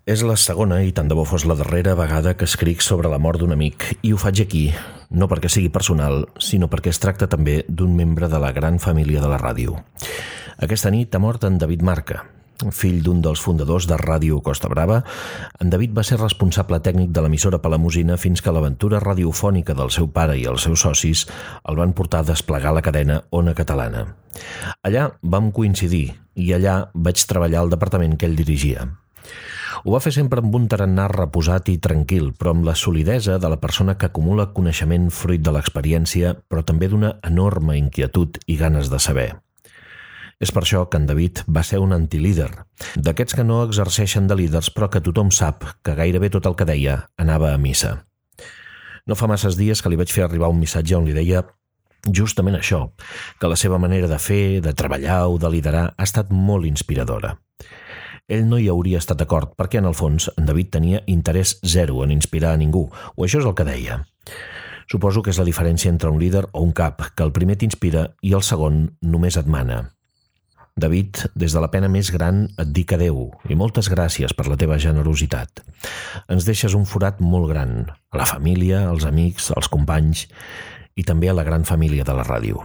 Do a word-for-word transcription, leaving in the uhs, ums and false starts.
És la segona, i tant de bo fos la darrera vegada que escric sobre la mort d'un amic, i ho faig aquí, no perquè sigui personal, sinó perquè es tracta també d'un membre de la gran família de la ràdio. Aquesta nit ha mort en David Marca. Fill d'un dels fundadors de Ràdio Costa Brava, en David va ser responsable tècnic de l'emissora Palamosina fins que l'aventura radiofònica del seu pare i els seus socis el van portar a desplegar la cadena Ona Catalana. Allà vam coincidir i allà vaig treballar al departament que ell dirigia. Ho va fer sempre amb un tarannà reposat i tranquil, però amb la solidesa de la persona que acumula coneixement fruit de l'experiència, però també d'una enorme inquietud i ganes de saber. És per això que en David va ser un antilíder, d'aquests que no exerceixen de líders però que tothom sap que gairebé tot el que deia anava a missa. No fa masses dies que li vaig fer arribar un missatge on li deia justament això, que la seva manera de fer, de treballar o de liderar ha estat molt inspiradora. Ell no hi hauria estat d'acord perquè, en el fons, en David tenia interès zero en inspirar a ningú, o això és el que deia. Suposo que és la diferència entre un líder o un cap, que el primer t'inspira i el segon només et mana. David, des de la pena més gran et dic adeu i moltes gràcies per la teva generositat. Ens deixes un forat molt gran, a la família, als amics, als companys i també a la gran família de la ràdio.